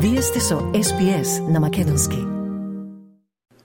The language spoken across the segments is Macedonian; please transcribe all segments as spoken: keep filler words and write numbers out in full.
Вие сте со Ес Би Ес на македонски.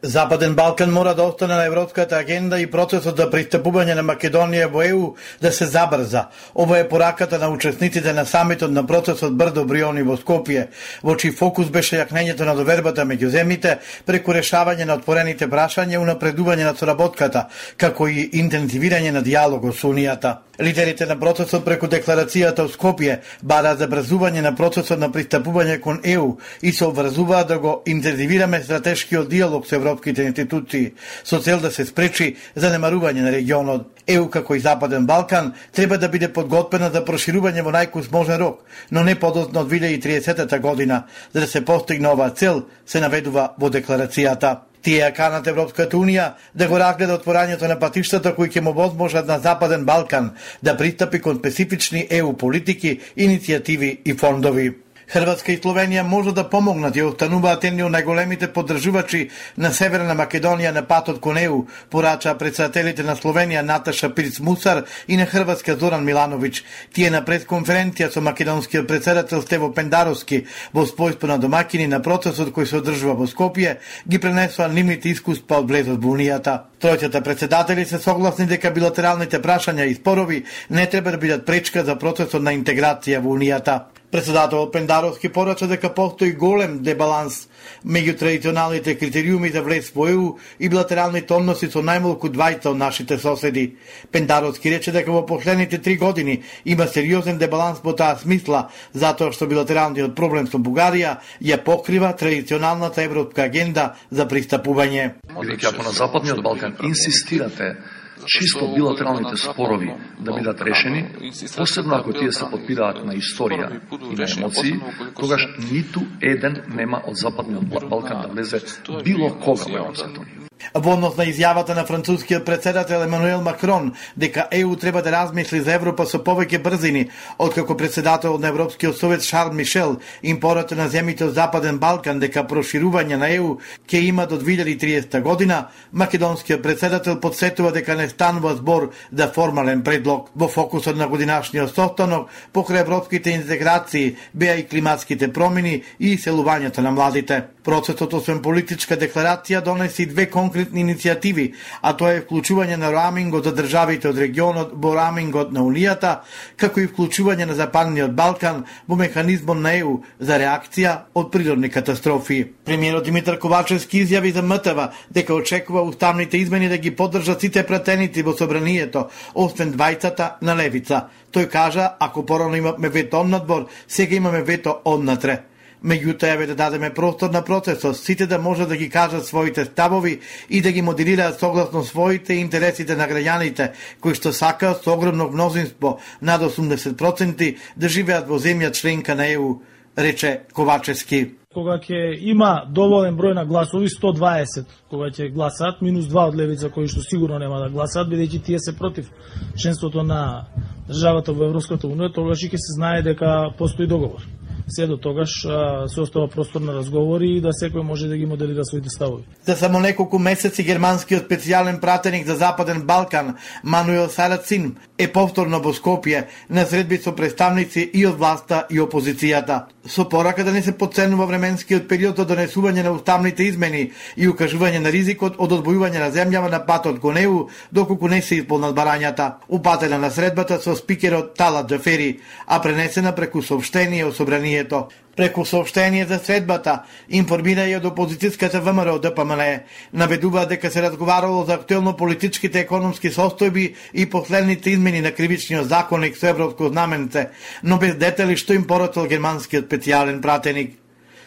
Западен Балкан мора да остане на европската агенда и процесот за пристапување на Македонија во Е У да се забрза. Ова е пораката на учесниците на самитот на процесот Брдо Бриони во Скопје, во чиј фокус беше јакнењето на довербата меѓу земјите преку решавање на отворените прашања и унапредување на соработката, како и интензивирање на диалогот со Унијата. Лидерите на процесот преку декларацијата од Скопје бараат забрзување на процесот на пристапување кон Е У и се обврзуваат да го интензивираме стратешкиот диалог со европските институции со цел да се спречи занемарување на регионот. Е У како и Западен Балкан треба да биде подготвена за проширување во најкус можен рок, но не подоцна од две илјади и триесета година, за да се постигне оваа цел, се наведува во декларацијата. Тие ја канат Европската Унија да го разгледа отворањето на патиштата кои ќе му возможат на Западен Балкан да пристапи кон специфични Е У политики, иницијативи и фондови. Хрватска и Словенија може да помогнат и остануваат едни од најголемите поддржувачи на Северна Македонија на патот кон Е У, порачаа председателите на Словенија Наташа Пирц Мусар и на Хрватска Зоран Милановиќ. Тие на пресконференција со македонскиот председател Стево Пендаровски во својство на домакини на процесот кој се одржува во Скопје ги пренесоа нивните искуства од влезот во Унијата. Тројцата председатели се согласни дека билатералните прашања и спорови не треба да бидат пречка за процесот на интеграција во Унијата. Председателот Пендаровски порача дека постои голем дебаланс меѓу традиционалните критериуми за влез во Е У и билатералните односи со најмалку двајца од нашите соседи. Пендаровски рече дека во последните три години има сериозен дебаланс во таа смисла, затоа што билатералниот проблем со Бугарија ја покрива традиционалната европска агенда за пристапување. Бидејќи ако на Западниот Балкан инсистирате чисто билатералните спорови да бидат решени, посебно ако тие се подпираат на историја и на емоции, тогаш ниту еден нема од Западниот Балкан да влезе било кога во Европската Унија. Во однос на изјавата на францускиот председател Емануел Макрон дека Е У треба да размисли за Европа со повеќе брзини, откако председател на Европскиот совет Шарл Мишел им порача на земјите од Западен Балкан дека проширување на Е У ќе има до две илјади и триесета година, македонскиот председател подсетува дека не станува збор за формален предлог. Во фокусот на годинашниот состанок покрај европските интеграции беа и климатските промени и иселувањето на младите. Процесот освен политичка декларација донесе и две конкретни иницијативи, а тоа е вклучување на роамингот за државите од регионот во роамингот на Унијата, како и вклучување на Западниот Балкан во механизмот на Е У за реакција од природни катастрофи. Премиерот Димитар Ковачевски изјави за М Т В дека очекува уставните измени да ги поддржат сите пратеници во собранието, освен двајцата на левица. Тој кажа, ако порано имаме вето однадбор, сега имаме вето однатре. Меѓутоа еве да дадеме простор на процесот, сите да може да ги кажат своите ставови и да ги моделираат согласно своите интересите на граѓаните, кои што сакаат со огромно мнозинство, над осумдесет проценти, да живеат во земја членка на Е У, рече Ковачевски. Кога ќе има доволен број на гласови, сто дваесет, кога ќе гласаат, минус два од левица кои што сигурно нема да гласаат, бидејќи тие се против членството на државата во Европската Унија, тогаш ќе се знае дека постои договор. Се до тогаш се остава простор на разговори и да секој може да ги моделира своите ставови. За само неколку месеци германскиот специјален пратеник за Западен Балкан Мануел Сарацин е повторно во Скопје на средби со представници и од власта и опозицијата. Со порака да не се потценува временскиот период за донесување на уставните измени и укажување на ризикот од одвојување на земјава на патот кон Е У доколку не се исполнат барањата. Упатена на средбата со спикерот Талат Џафери, а пренесена преку соопштение од собранието. Преку соопштение за средбата информира и од опозицијската В М Р Д П М Н, наведува дека се разговарало за актуелно политичките економски состојби и последните измени на кривичниот законник со европско знаменце, но без детали што им порачал германскиот специјален пратеник.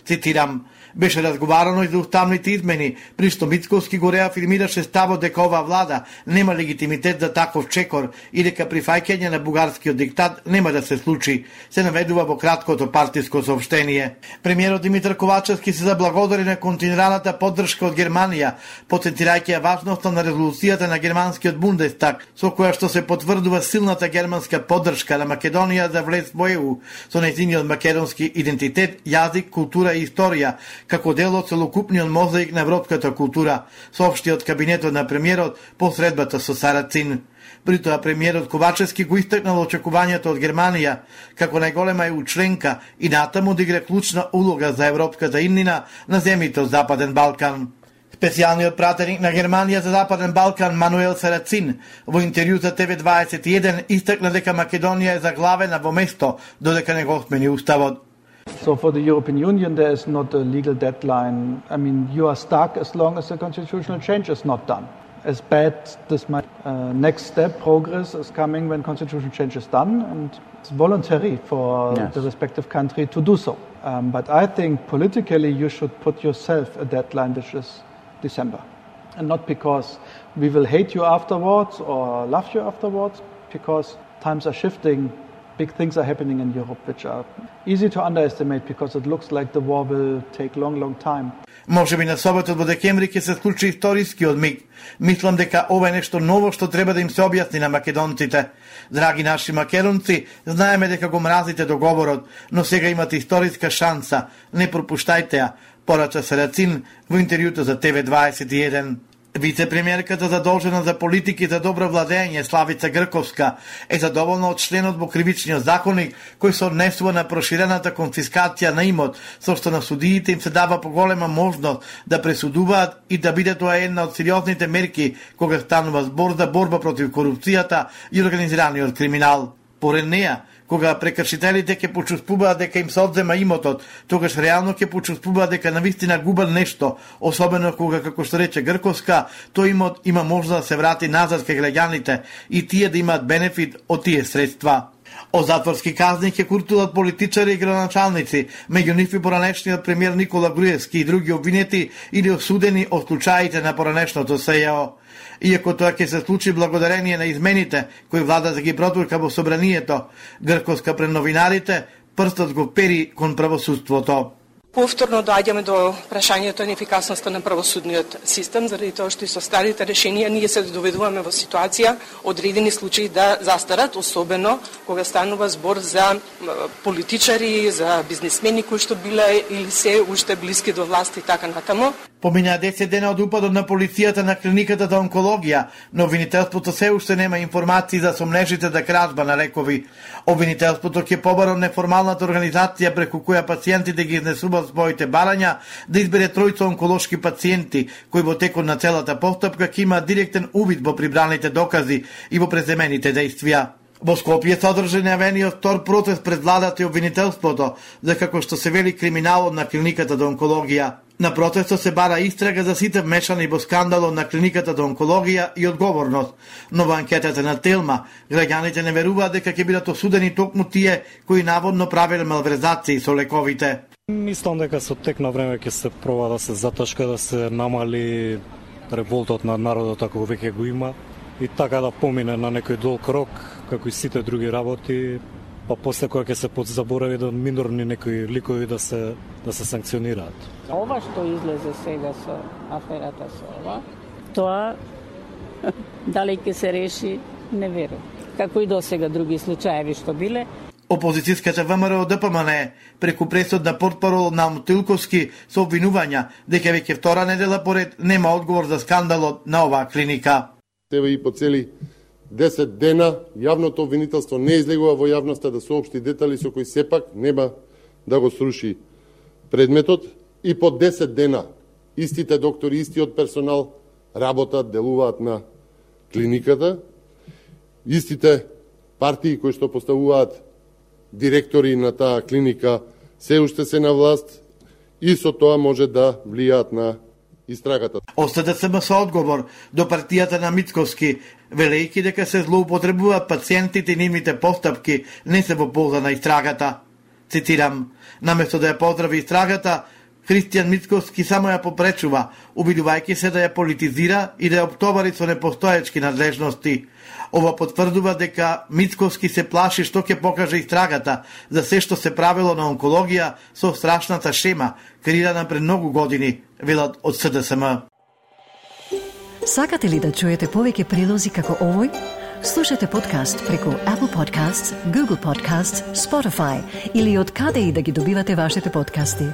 Цитирам: беше разговарано и за уставните измени, при што Мицковски го реафирмираше ставот дека оваа влада нема легитимитет за таков чекор и дека прифаќање на бугарскиот диктат нема да се случи, се наведува во краткото партиско соопштение. Премиерот Димитар Ковачевски се заблагодари на континуираната поддршка од Германија, потенцирајќи ја важноста на резолуцијата на германскиот Бундестаг, со која што се потврдува силната германска поддршка на Македонија за влез во Е У, со нејзиниот македонски идентитет, јазик, култура култура и историја како дел од целокупниот мозаик на европската култура, соопшти од кабинетот на премиерот по средбата со Сарацин. При тоа премиерот Ковачевски го истакнал очекувањето од Германија како најголема е членка и натаму да игра клучна улога за европската иднина на земјите од Западен Балкан. Специјалниот пратеник на Германија за Западен Балкан Мануел Сарацин во интервју за Т В дваесет и еден истакна дека Македонија е заглавена во место додека не го смени уставот. So for the European Union there is not a legal deadline. I mean, you are stuck as long as the constitutional change is not done. As bad this might, uh, next step progress is coming when constitutional change is done, and it's voluntary for yes. the respective country to do so. Um, but I think politically you should put yourself a deadline which is December, and not because we will hate you afterwards or love you afterwards, because times are shifting. Big things are happening in Europe which are easy to underestimate because it looks like the war will take long, long time. Може би на соботот во декември ќе се случи историскиот миг. Мислам дека ова е нешто ново што треба да им се објасни на македонците. Драги наши македонци, знаеме дека го мразите договорот, но сега имате историска шанса. Не пропуштајте ја, порача Сарацин во интервјуто за Т В дваесет и еден. Вице-премиерката задолжена за политики за добро владење Славица Грковска е задоволна од членот во кривичниот законник кој се однесува на проширената конфискација на имот, со што на судиите им се дава поголема можност да пресудуваат и да биде тоа една од сериозните мерки кога станува збор за борба против корупцијата и организираниот криминал. Поред неја, кога прекршителите ќе почувствуваат дека им се одзема имотот, тогаш реално ќе почувствуваат дека навистина губат нешто, особено кога, како што рече Грковска, тој имот има можност да се врати назад кај граѓаните и тие да имаат бенефит од тие средства. Од затворски казни ќе куртуваат политичари и градоначалници, меѓу нив и поранешниот премиер Никола Груевски и други обвинети или осудени од случаите на поранешното С Ј О. Иако тоа ќе се случи благодарение на измените кои влада да ги протурка во собранието, Грковска пред новинарите прстот го пери кон правосудството. Повторно доаѓаме до прашањето на ефикасноста на правосудниот систем, заради тоа што и со старите решенија ние се доведуваме во ситуација одредени случаи да застарат, особено кога станува збор за политичари, за бизнисмени кои што биле или се уште блиски до власт и така натаму. Помина десет дена од упадот на полицијата на клиниката за онкологија, но обвинителството се уште нема информации за сомнежите за кражба на лекови. Обвинителството ќе побара неформалната организација преку која пациентите ги изнесуваат своите барања да избере тројца онколошки пациенти кои во текот на целата постапка ќе имаат директен увид во прибраните докази и во преземените действија. Во Скопје се одржа најавениот втор протест пред владата и обвинителството за како што се вели криминалот на клиниката за онкологија. На протестот се бара истрага за сите вмешани во скандалот на клиниката за онкологија и одговорност. Но во анкетата на Телма, граѓаните не веруваат дека ќе бидат осудени токму тие кои наводно правеле малверзации со лековите. Мислам дека со тек на време ќе се проба да се заташка, да се намали револтот на народот ако веќе го има и така да помине на некој долг рок, како и сите други работи, па после кога ќе се подзаборави да минорни некои ликови да се да се санкционираат. Ова што излезе сега со аферата со ова, тоа дали ќе се реши, не верувам. Како и досега други случаеви што биле. Опозицијската ВМРО Д П М Н преку пресод на портпарол на Мутилковски со обвинувања дека веќе втора недела поред нема одговор за скандалот на оваа клиника. Тебе и по цели десет дена јавното обвинителство не излегува во јавноста да соопшти детали со кои сепак нема да го сруши предметот и по десет дена истите доктори, истиот персонал работат, делуваат на клиниката, истите партии кои што поставуваат директори на таа клиника се уште се на власт и со тоа може да влијаат на истрагата. Остата се со одговор до партијата на Мицковски, велејќи дека се злоупотребуваат пациентите и нивните постапки не се во полза на истрагата. Цитирам, наместо да ја поздрави истрагата, Христијан Мицковски само ја попречува, обидувајќи се да ја политизира и да ја оптовари со непостоечки надлежности. Ова потврдува дека Мицковски се плаши што ќе покаже истрагата за се што се правило на онкологија со страшната шема, креирана пред многу години, велат од С Д С М. Сакате ли да чуете повеќе прилози како овој? Слушате подкаст преку Apple Podcasts, Google Podcasts, Spotify или од каде и да ги добивате вашите подкасти.